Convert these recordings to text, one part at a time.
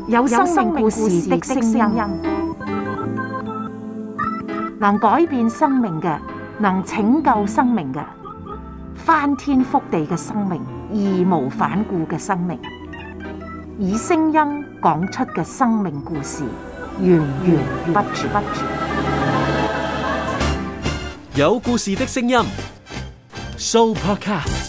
有生命故事的聲音，能改變生命嘅，能拯救生命嘅，翻天覆地嘅生命，義無反顧嘅生命，以聲音講出嘅生命故事，源源不絕。有故事的聲音 ，Sooopodcast。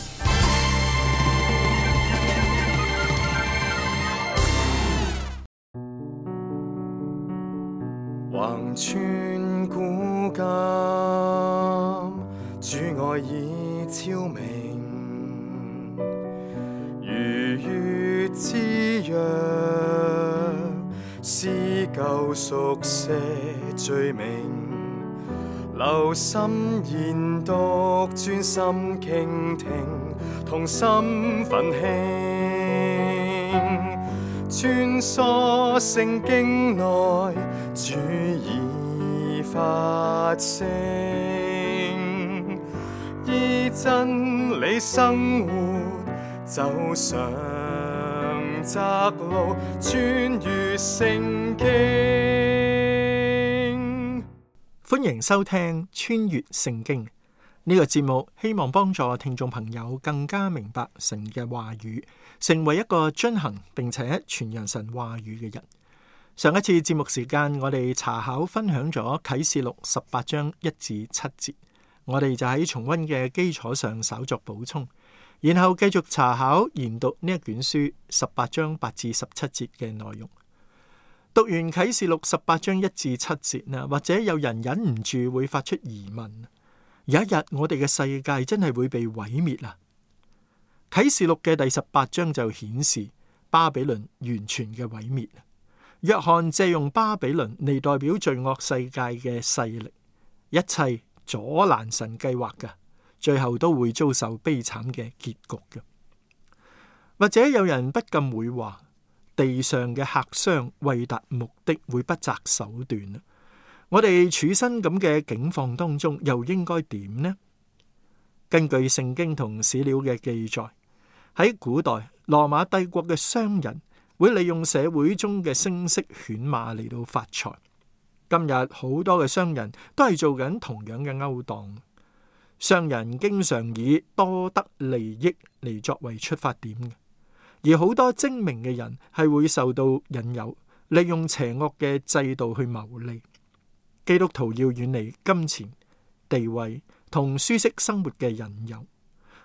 橫穿古今，主愛已超明，如月之約，撕舊熟寫罪名，留心研讀，專心傾聽，同心奮興，穿梭聖經內，主已發聲，依真理生活，走上窄路，穿越聖經。歡迎收聽穿越聖經呢個節目，希望幫助聽眾朋友更加明白神嘅話語，成為一個遵行並且傳揚神話語嘅人。上一次節目時間，我哋查考分享咗啟示錄18章1至7節，我哋就喺重溫嘅基礎上稍作補充，然後繼續查考研讀呢一卷書18章8至17節嘅內容。讀完啟示錄18章1至7節啦，或者有人忍唔住會發出疑問：有一日我哋嘅世界真係會被毀滅啊？啟示錄嘅第18章就顯示巴比倫完全嘅毀滅。約翰借用巴比倫嚟代表罪惡世界嘅勢力，一切阻攔神計劃嘅，最後都會遭受悲慘嘅結局嘅。或者有人不禁會話，地上嘅客商為達目的會不擇手段。我哋處身咁嘅境況當中，又應該點呢？根據聖經同史料嘅記載，喺古代羅馬帝國嘅商人會利用社會中嘅聲色犬馬嚟到發財。今日好多嘅商人都係做緊同樣嘅勾當。商人經常以多得利益嚟作為出發點嘅，而好多精明嘅人係會受到引誘，利用邪惡嘅制度去牟利。基督徒要遠離金錢、地位同舒適生活嘅引誘，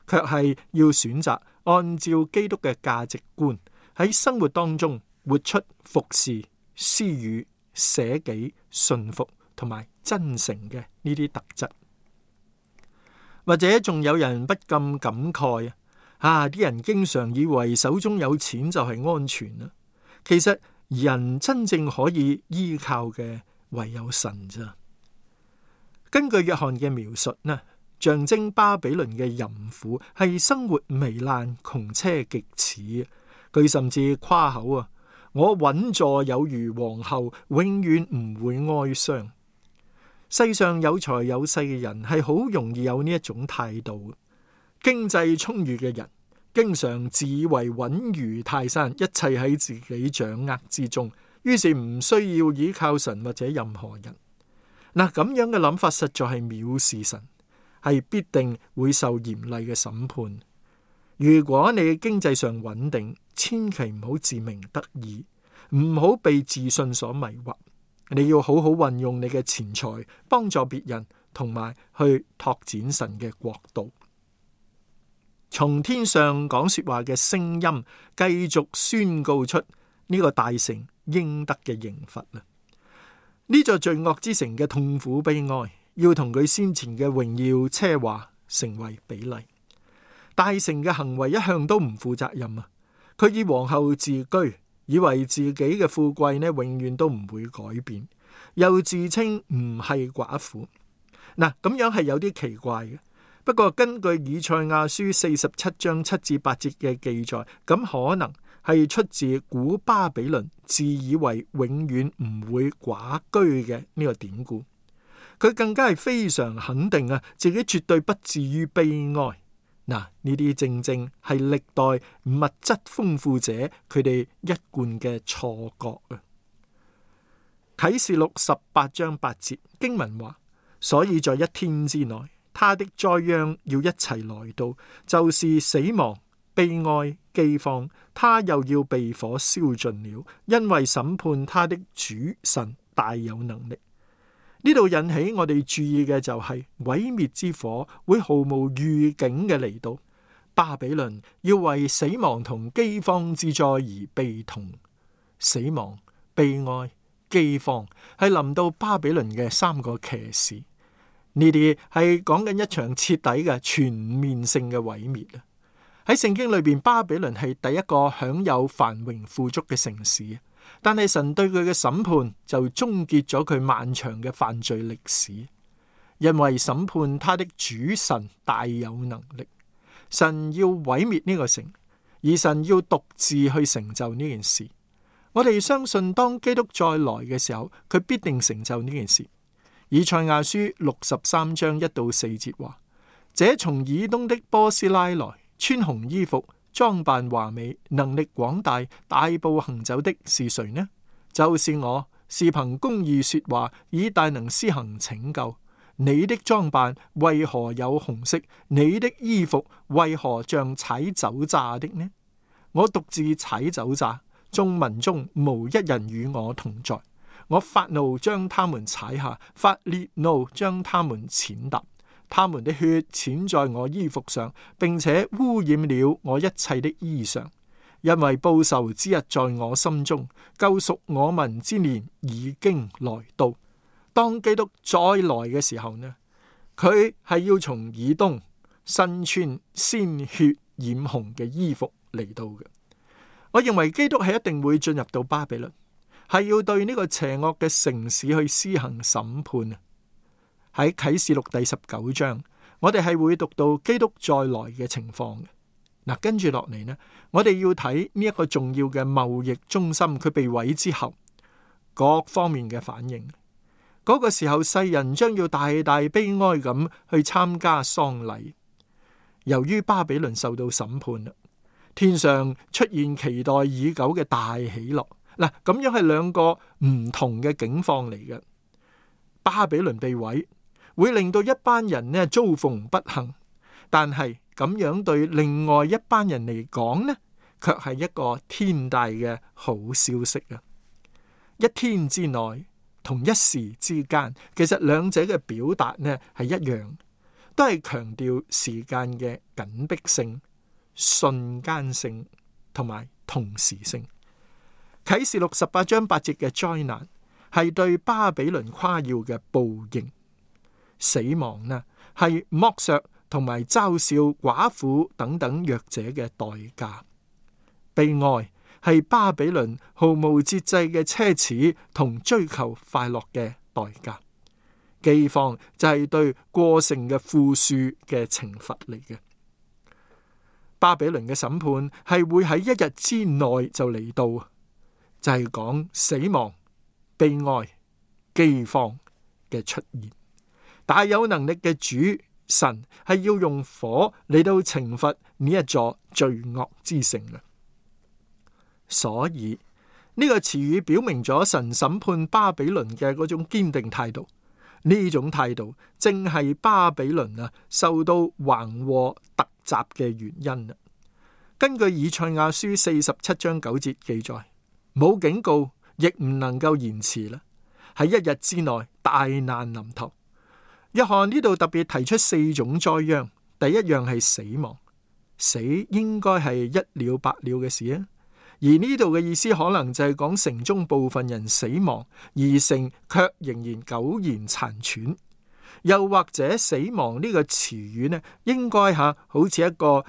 卻係要選擇按照基督嘅價值觀，喺生活當中活出服侍、施予、捨己、順服同埋真誠嘅呢啲特質。或者仲有人不禁感慨啲人經常以為手中有錢就係安全啦。其實人真正可以依靠嘅唯有神咋。根據約翰嘅描述呢，象徵巴比倫嘅淫婦係生活糜爛、窮奢極侈。佢甚至誇口我穩坐有如皇后，永遠唔會哀傷。世上有財有勢嘅人係好容易有呢一種態度。經濟充裕嘅人經常自以為穩如泰山，一切喺自己掌握之中，於是唔需要依靠神或者任何人。咁樣嘅諗法實在係藐視神，係必定會受嚴厲嘅審判。如果你經濟上穩定，千祈唔好自鳴得意，唔好被自信所迷惑。你要好好運用你嘅錢財，幫助別人，同埋去拓展神嘅國度。從天上講說話嘅聲音，繼續宣告出呢個大城應得嘅刑罰啦。呢座罪惡之城嘅痛苦悲哀，要同佢先前嘅榮耀奢華成為比例。大城嘅行為一向都唔負責任啊！佢以皇后自居，以為自己嘅富貴呢永遠都唔會改變，又自稱唔係寡婦。咁樣係有啲奇怪嘅。不過根據以賽亞書47章7至8節嘅記載，咁可能係出自古巴比倫自以為永遠唔會寡居嘅呢個典故。佢更加係非常肯定自己絕對不至於悲哀。嗱，呢啲正正係歷代物質豐富者佢哋一貫嘅錯覺啊。啟示錄18章8節經文話：所以在一天之內，他的災殃要一齊來到，就是死亡、悲哀、饑荒，他又要被火燒盡了，因為審判他的主神大有能力。呢度引起我哋注意嘅就係毀滅之火會毫無預警嘅嚟到，巴比倫要為死亡同饑荒之災而悲痛。死亡、悲哀、饑荒係臨到巴比倫嘅3個騎士，呢啲係講緊一場徹底嘅全面性嘅毀滅啊！喺聖經裏邊，巴比倫係第一個享有繁榮富足嘅城市，但係神對佢嘅審判就終結咗佢漫長嘅犯罪歷史，因為審判他的主神大有能力，神要毀滅呢個城，而神要獨自去成就呢件事。我哋相信當基督再來嘅時候，佢必定成就呢件事。以賽亞書63章1到4節話：這從以東的波斯拉來，穿紅衣服，裝扮華美，能力廣大，大步行走的是誰呢？就是我，是憑公義說話，以大能施行拯救。你的裝扮為何有紅色？你的衣服為何像踩酒榨的呢？我獨自踩酒榨，眾民中無一人與我同在。我發怒將他們踩下，發烈怒將他們踐踏。他們的血濺在我衣服上，並且污染了我一切的衣裳。因為報仇之日在我心中，救贖我民之年已經來到。當基督再來嘅時候呢，佢係要從以東身穿鮮血染紅嘅衣服嚟到嘅。我認為基督係一定會進入到巴比倫，係要對呢個邪惡嘅城市去施行審判啊！喺啟示錄第19章，我哋係會讀到基督再來嘅情況嘅。嗱，跟住落嚟呢，我哋要睇呢一個重要嘅貿易中心，佢被毀之後各方面嘅反應。嗰個時候，世人將要大大悲哀咁去參加喪禮。由於巴比倫受到審判啦，天上出現期待已久嘅大喜樂。嗱，咁樣係兩個唔同嘅境況嚟嘅。巴比倫被毀，會令到一班人呢遭逢不幸，但係咁樣對另外一班人嚟講呢，卻係一個天大嘅好消息啊！一天之內，同一時之間，其實兩者嘅表達呢係一樣，都係強調時間嘅緊迫性、瞬間性同埋同時性。啟示錄18章8節嘅災難係對巴比倫誇耀嘅報應，死亡呢係剝削同埋嘲笑寡婦等等弱者嘅代價，悲哀係巴比倫毫無節制嘅奢侈同追求快樂嘅代價，饑荒就係對過剩嘅富庶嘅懲罰嚟嘅。巴比倫嘅審判係會喺一日之內就嚟到，就係講死亡、悲哀、饑荒嘅出現。大有能力嘅主神係要用火嚟到懲罰呢一座罪惡之城嘅。所以呢個詞語表明咗神審判巴比倫嘅嗰種堅定態度，呢種態度正係巴比倫受到橫禍突襲嘅原因。根據以賽亞書47章9節記載，冇警告亦唔能夠延遲啦，喺一日之內大難臨頭。約翰呢度特別提出4種災殃，第一樣係死亡，死應該係一了百了嘅事啊。而呢度嘅意思可能就係講城中部分人死亡，而城卻仍然苟延殘喘。又或者死亡呢個詞語呢，應該好似一個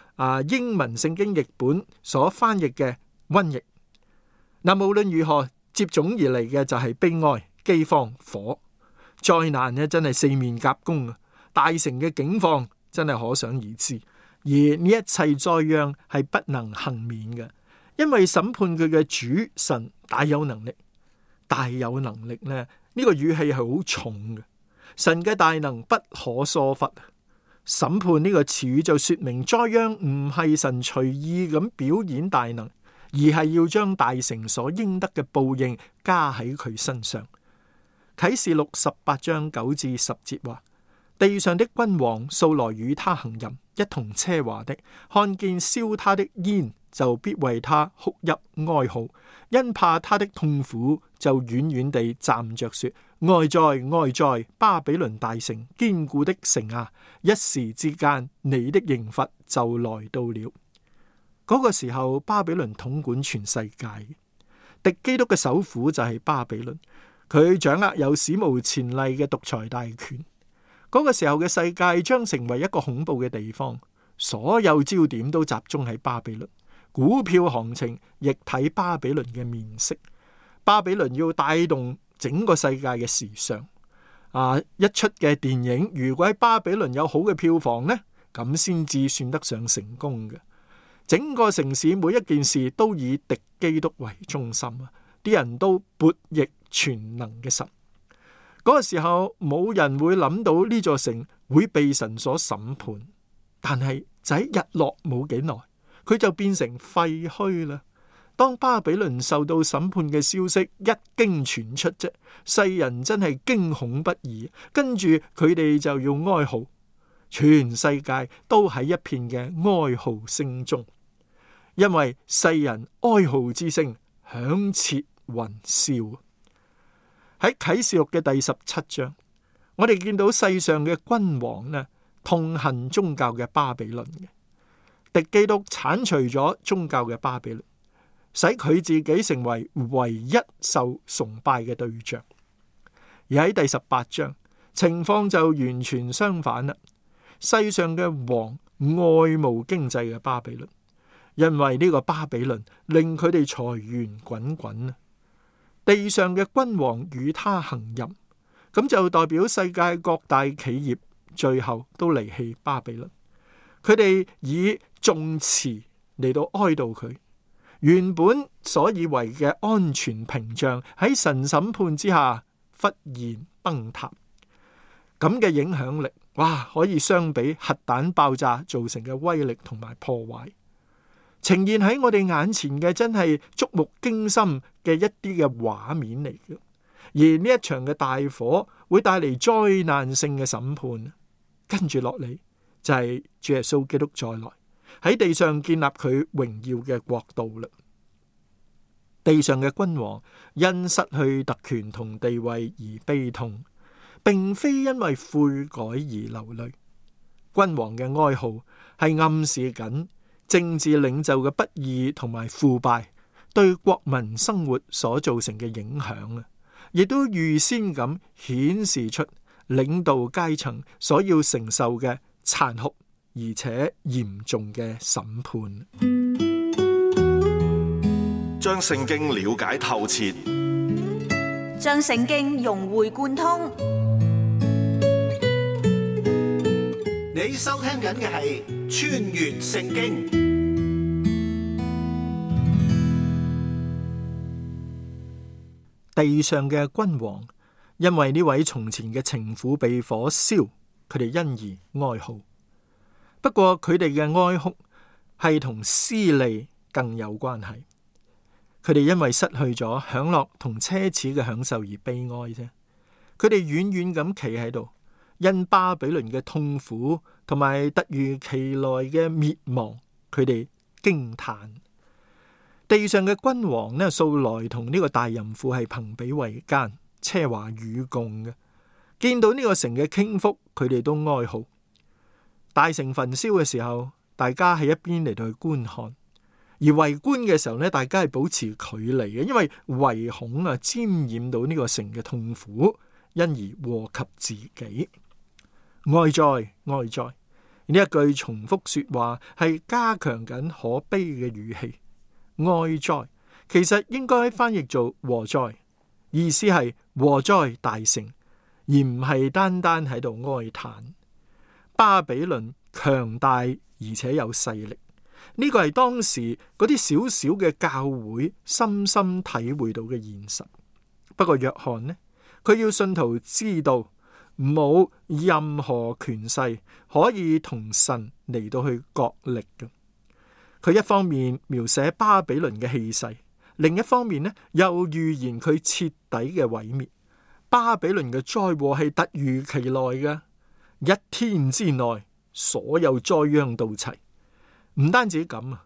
英文聖經譯本所翻譯嘅瘟疫。無論如何，接踵而嚟嘅就係悲哀、饑荒、火。災難呢真係四面夾攻啊！大城嘅境況真係可想而知。而呢一切災殃係不能幸免嘅，因為審判佢嘅主神大有能力。大有能力呢個語氣係好重嘅。神嘅大能不可疏忽，審判呢個詞語就說明災殃唔係神隨意咁表演大能，而係要將大城所應得嘅報應加喺佢身上。啟示錄18章9至10節話：地上的君王素來與他行淫，一同奢華的，看見燒他的煙，就必為他哭泣哀號，因怕他的痛苦，就遠遠地站着說：哀哉哀哉，巴比倫大城，堅固的城啊！一時之間，你的刑罰就來到了。嗰個時候，巴比倫統管全世界，敵基督嘅首府就係巴比倫，佢掌握有史無前例嘅獨裁大權。嗰個時候嘅世界將成為一個恐怖嘅地方，所有焦點都集中喺巴比倫，股票行情亦睇巴比倫嘅面色。巴比倫要帶動整個世界嘅時尚。一出嘅電影如果喺巴比倫有好嘅票房呢，咁先至算得上成功嘅。整個城市每一件事都以敵基督為中心啊！啲人都悖逆全能嘅神。嗰個時候冇人會諗到呢座城會被神所審判，但係就喺日落冇幾耐，佢就變成廢墟啦。當巴比倫受到審判嘅消息一經傳出啫，世人真係驚恐不已，跟住佢哋就要哀號，全世界都喺一片嘅哀號聲中，因為世人哀號之聲響徹雲霄。喺啟示錄嘅第17章，我哋見到世上嘅君王呢，痛恨宗教嘅巴比倫嘅，敵基督鏟除咗宗教嘅巴比倫，使佢自己成為唯一受崇拜嘅對象。而喺第18章，情況就完全相反啦。世上嘅王愛慕經濟嘅巴比倫，因為呢個巴比倫令佢哋財源滾滾啊。地上嘅君王與他行淫，咁就代表世界各大企業最後都離棄巴比倫。佢哋以頌詞嚟到哀悼佢，原本所以為嘅安全屏障喺神審判之下忽然崩塌。咁嘅影響力，哇，可以相比核彈爆炸造成嘅威力同埋破壞。呈現喺我哋眼前嘅真係觸目驚心嘅一啲嘅畫面嚟嘅，而呢一場嘅大火會帶嚟災難性嘅審判，跟住落嚟就係主耶穌基督再來喺地上建立佢榮耀嘅國度啦。地上嘅君王因失去特權同地位而悲痛，並非因為悔改而流淚。君王嘅哀號係暗示緊政治領袖嘅不義同埋腐敗對國民生活所造成嘅影響啊，亦都預先咁顯示出領導階層所要承受嘅殘酷而且嚴重嘅審判。將聖經了解透徹，將聖經融會貫通。你收聽緊嘅係穿越聖經。地上嘅君王因為呢位從前嘅情婦被火燒，佢哋因而哀號。不過佢哋嘅哀哭係同私利更有關係。佢哋因為失去咗享樂同奢侈嘅享受而悲哀啫。佢哋遠遠咁企喺度，因巴比倫嘅痛苦同埋突如其來嘅滅亡，佢哋驚嘆。地上嘅君王呢，素來同呢個大淫婦係朋比為奸，奢華與共嘅。見到呢個城嘅傾覆，佢哋都哀號。大城焚燒嘅時候，大家喺一邊嚟到去觀看；而圍觀嘅時候呢，大家係保持距離嘅，因為唯恐沾染到呢個城嘅痛苦，因而禍及自己。哀哉哀哉，呢一句重複說話係加強緊可悲嘅語氣。哀哉其實應該翻譯做禍哉，意思係禍哉大城，而唔係單單喺度哀嘆。巴比倫強大而且有勢力，呢個係當時嗰啲小小嘅教會深深體會到嘅現實。不過約翰呢，佢要信徒知道冇任何權勢可以同神嚟到去角力嘅。佢一方面描寫巴比倫嘅氣勢，另一方面呢又預言佢徹底嘅毀滅。巴比倫嘅災禍係突如其來嘅，一天之內所有災殃到齊。唔單止咁啊，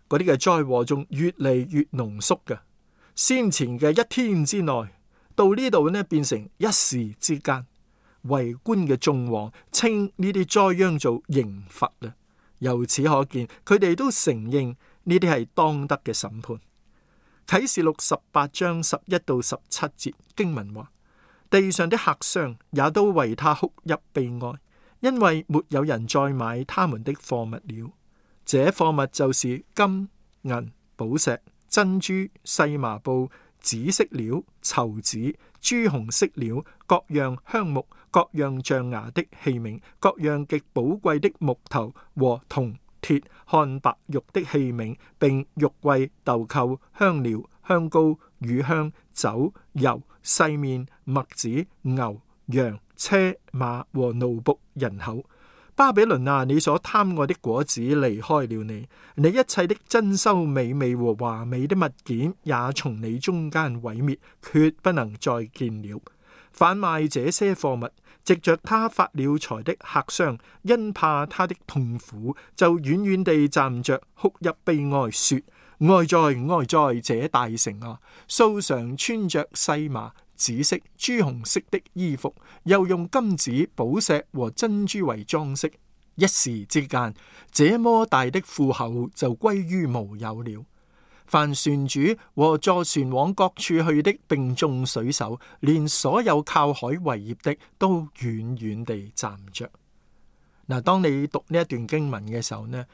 嗰啲嘅災禍仲越嚟越濃縮嘅。先前嘅一天之內，到呢度呢變成一時之間。圍觀嘅眾王稱呢啲災殃做刑罰啊！由此可見，佢哋都承認呢啲係當得嘅審判。啟示錄18章11到17節經文話：地上的客商也都為他哭泣悲哀，因為沒有人再買他們的貨物了。這貨物就是金、銀、寶石、珍珠、細麻布、紫色料、綢子、朱紅色料、各樣香木、各樣象牙的器皿、各樣極寶貴的木頭和銅、鐵、漢白玉的器皿，並玉櫃、豆蔻、香料、香膏、乳香、酒、油、細麵、麥子、牛、羊、車馬和奴僕人口。巴比倫啊，你所貪愛的果子離開了你，你一切的珍饈美味和華美的物件也從你中間毀滅，決不能再見了。販賣這些貨物，藉着他發了財的客商，因怕他的痛苦，就遠遠地站着哭泣悲哀，說：哀哉哀哉，這大城啊！素常穿着細麻、紫色、朱紅色的衣服，又用金子、寶石和珍珠為裝飾。一時之間，這麼大的富厚就歸於無有了。凡船主和坐船往各處去的，並眾水手，連所有靠海為業的，都遠遠地站着。嗱，當你讀呢一段經文嘅時候呢，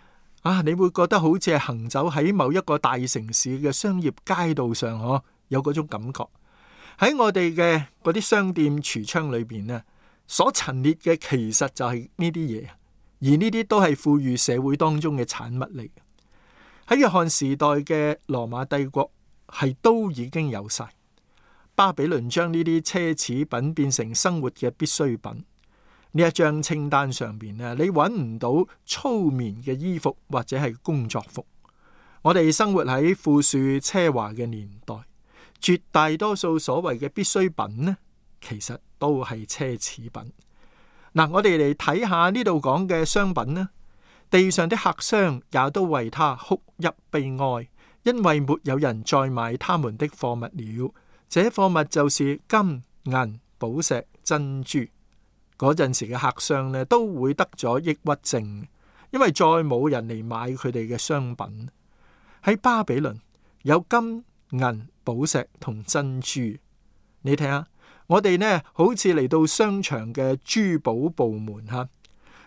你會覺得好似係行走喺某一個大城市嘅商業街道上，有嗰種感覺。喺我哋嘅嗰啲商店櫥窗裏邊呢，所陳列嘅其實就係呢啲嘢，而呢啲都係富裕社會當中嘅產物嚟。喺約翰時代嘅羅馬帝國係都已經有晒。巴比倫將呢啲奢侈品變成生活嘅必需品。呢一張清單上邊呢，你揾唔到粗棉嘅衣服或者係工作服。我哋生活喺富庶奢華嘅年代，絕大多數所謂嘅必需品呢，其實都係奢侈品。我哋嚟睇下呢度講嘅商品呢。地上的客商也都為他哭泣悲哀，因為沒有人再買他們的貨物了。這貨物就是金、銀、寶石、珍珠。嗰陣時嘅客商呢，都會得咗抑鬱症，因為再冇人嚟買佢哋嘅商品。喺巴比倫有金、銀、寶石同珍珠。你睇下，我哋呢好似嚟到商場嘅珠寶部門吓。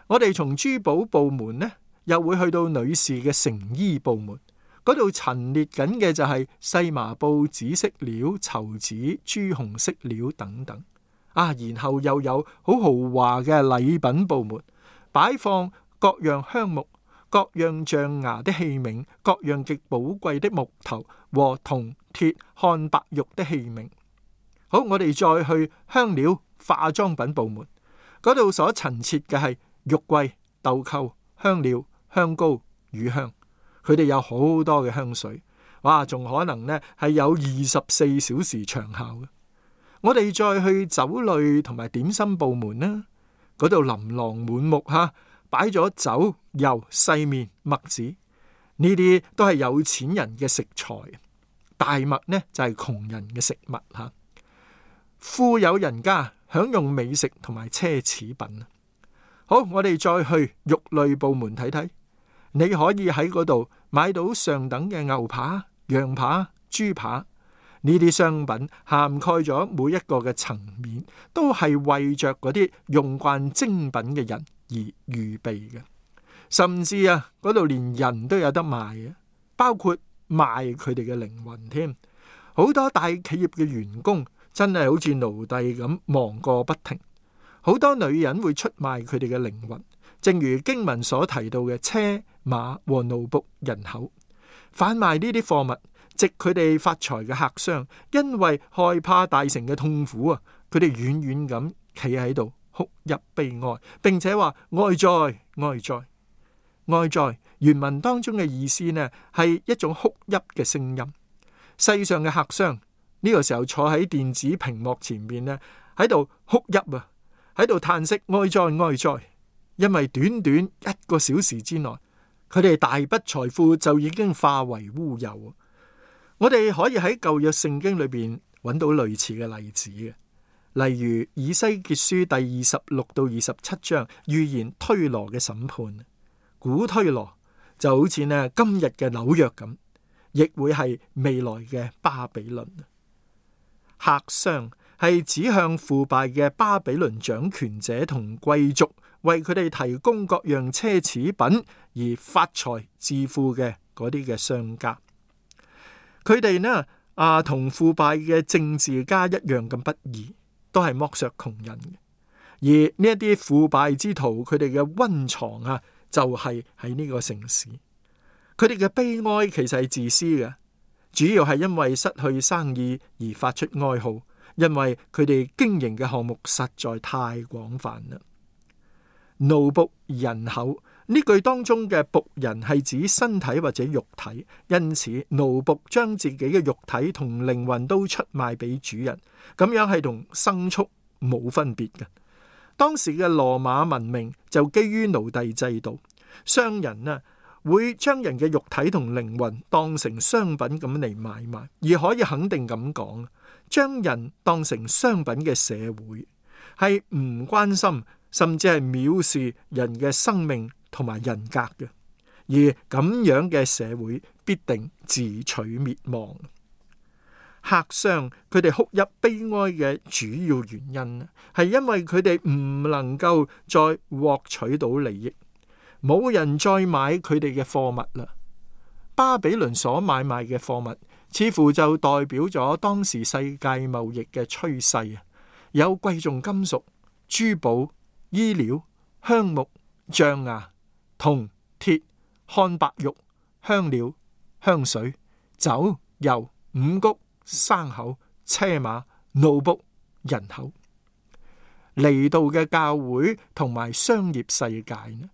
我哋從珠寶部門呢，又會去到女士嘅成衣部門，嗰度陳列緊嘅就係細麻布、紫色料、綢子、朱紅色料等等。然後又有好豪華嘅禮品部門，擺放各樣香木、各樣象牙的器皿、各樣極寶貴的木頭和銅、鐵、漢白玉的器皿。好，我哋再去香料、化妝品部門，嗰度所陳設嘅係玉桂、豆蔻、香料、香膏、乳香，佢哋有好多嘅香水，仲可能呢係有24小時長效嘅。我哋再去酒類同埋點心部門呢，嗰度琳琅滿目擺咗酒、油、細麵、麥子，呢啲都係有錢人嘅食材，大麥呢就係窮人嘅食物吓。富有人家享用美食同埋奢侈品。好，我哋再去肉類部門睇睇，你可以喺嗰度買到上等嘅牛扒、羊扒、豬扒，呢啲商品涵蓋咗每一個嘅層面，都係為着嗰啲用慣精品嘅人而預備嘅。甚至嗰度連人都有得賣嘅，包括賣佢哋嘅靈魂添。好多大企業嘅員工真係好似奴隸咁忙個不停。好多女人會出賣佢哋嘅靈魂，正如經文所提到嘅車馬和奴僕人口。販賣呢啲貨物，藉佢哋發財嘅客商，因為害怕大城嘅痛苦佢哋遠遠咁企喺度哭泣悲哀，並且話哀哉哀哉。哀哉原文當中嘅意思呢，係一種哭泣嘅聲音。世上嘅客商呢個時候坐喺電子屏幕前面呢，喺度哭泣啊，喺度嘆息哀哉哀哉，因為短短1個小時之內，佢哋大筆財富就已經化為烏有。我哋可以喺舊約聖經裏邊揾到類似嘅例子嘅，例如以西結書第26到27章預言推羅嘅審判。古推羅就好似呢今日嘅紐約咁，亦會係未來嘅巴比倫。客商係指向腐敗嘅巴比倫掌權者同貴族，為佢哋提供各樣奢侈品而發財致富嘅嗰啲嘅商家。佢哋呢同腐敗嘅政治家一樣咁不義，都係剝削窮人嘅。而呢一啲腐敗之徒，佢哋嘅溫床就係喺呢個城市。佢哋嘅悲哀其實係自私嘅，主要係因為失去生意而發出哀號，因為佢哋經營嘅項目實在太廣泛啦。奴僕人口呢句當中嘅僕人係指身體或者肉體，因此奴僕將自己嘅肉體同靈魂都出賣俾主人，咁樣係同牲畜冇分別嘅。當時嘅羅馬文明就基於奴隸制度，商人會將人嘅肉體同靈魂當成商品咁嚟買賣，而可以肯定咁講，將人當成商品嘅社會係唔關心，甚至係藐視人嘅生命同埋人格嘅，而咁樣嘅社會必定自取滅亡。客商佢哋哭泣悲哀嘅主要原因係因為佢哋唔能夠再獲取到利益，冇人再買佢哋嘅貨物啦。巴比倫所買賣嘅貨物似乎就代表咗當時世界貿易嘅趨勢，有貴重金屬、珠寶、衣料、香木、象牙、銅、鐵、漢白玉、香料、香水、酒、油、五穀、牲口、車馬、奴僕、人口。嚟到嘅教會同埋商業世界呢，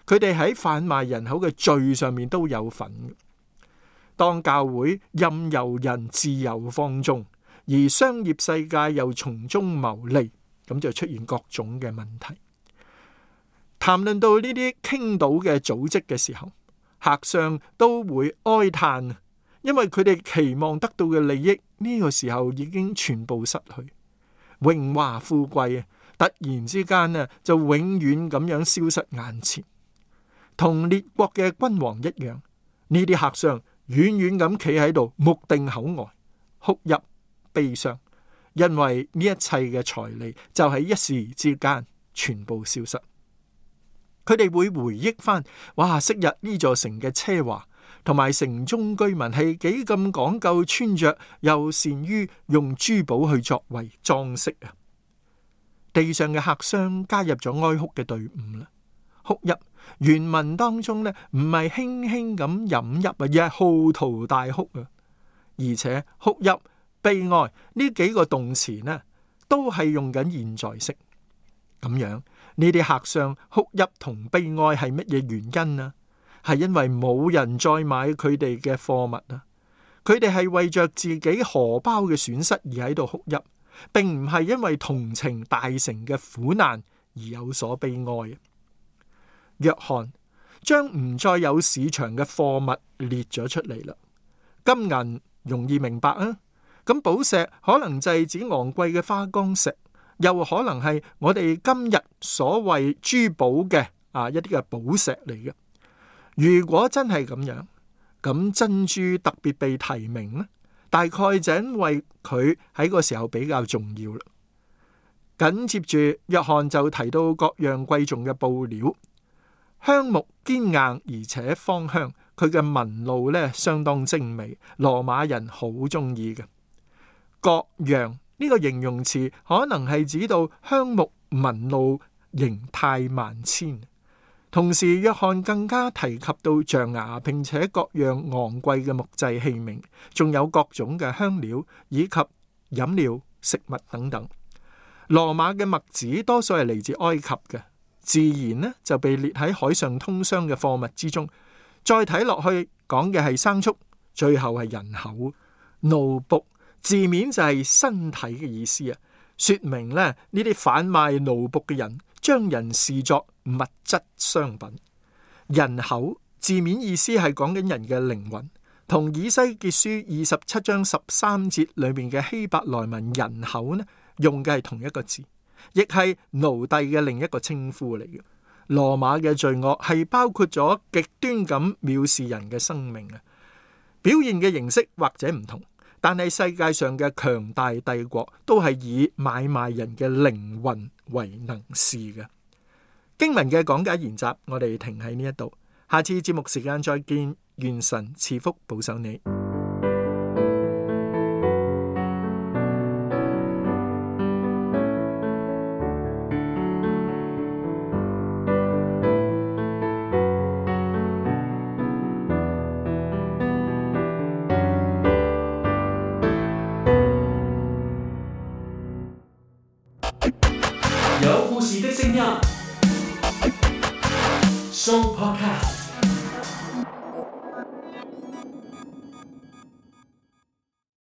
佢哋喺販賣人口嘅罪上面都有份。當教會任由人自由放縱，而商業世界又從中牟利，咁就出現各種嘅問題。談論到呢啲傾倒嘅組織嘅時候，客商都會哀嘆，因為佢哋期望得到嘅利益呢個時候已經全部失去，榮華富貴突然之間就永遠咁樣消失眼前。同列國嘅君王一樣，呢啲客商遠遠咁企喺度，目定口呆，哭泣悲傷，因為呢一切嘅財利就喺一時之間全部消失。佢哋會回憶翻，哇！昔日呢座城嘅奢華，同埋城中居民係幾咁講究穿着，又善於用珠寶去作為裝飾啊！地上嘅客商加入咗哀哭嘅隊伍啦。哭泣原文當中呢，唔係輕輕咁飲泣啊，而係嚎啕大哭啊！而且哭泣、悲哀呢幾個動詞呢，都係用緊現在式。咁樣呢啲客商哭泣同悲哀係乜嘢原因啊？係因為冇人再買佢哋嘅貨物啊！佢哋係為着自己荷包嘅損失而喺度哭泣，並唔係因為同情大城嘅苦難而有所悲哀。約翰將唔再有市場嘅貨物列咗出嚟啦。金銀容易明白啊，咁寶石可能就係指昂貴嘅花崗石，又可能係我哋今日所謂珠寶嘅一啲嘅寶石嚟嘅。如果真係咁樣，咁珍珠特別被提名呢，大概就因為佢喺個時候比較重要啦。緊接住約翰就提到各樣貴重嘅布料，香木堅硬而且芳香，佢嘅紋路呢相當精美，羅馬人好中意嘅。各樣呢個形容詞可能係指到香木紋路形態萬千。同時約翰更加提及到象牙，並且各樣昂貴嘅木製器皿，仲有各種嘅香料以及飲料、食物等等。羅馬嘅麥子多數係嚟自埃及嘅，自然呢就被列喺海上通商嘅貨物之中。再睇落去講嘅係牲畜，最後係人口。奴僕字面就係身體嘅意思啊，說明呢啲販賣奴僕嘅人將人視作物質商品。人口字面意思係講緊人嘅靈魂，同以西結書27章13節裏面嘅希伯來文人口呢用嘅係同一個字，亦係奴隸嘅另一個稱呼嚟嘅。羅馬嘅罪惡係包括咗極端咁藐視人嘅生命啊，表現嘅形式或者唔同，但係世界上嘅強大帝國都係以買賣人嘅靈魂為能事嘅。經文嘅講解研習，我哋停喺呢一度，下次節目時間再見，願神賜福保守你。有故事的聲音，Show Podcast。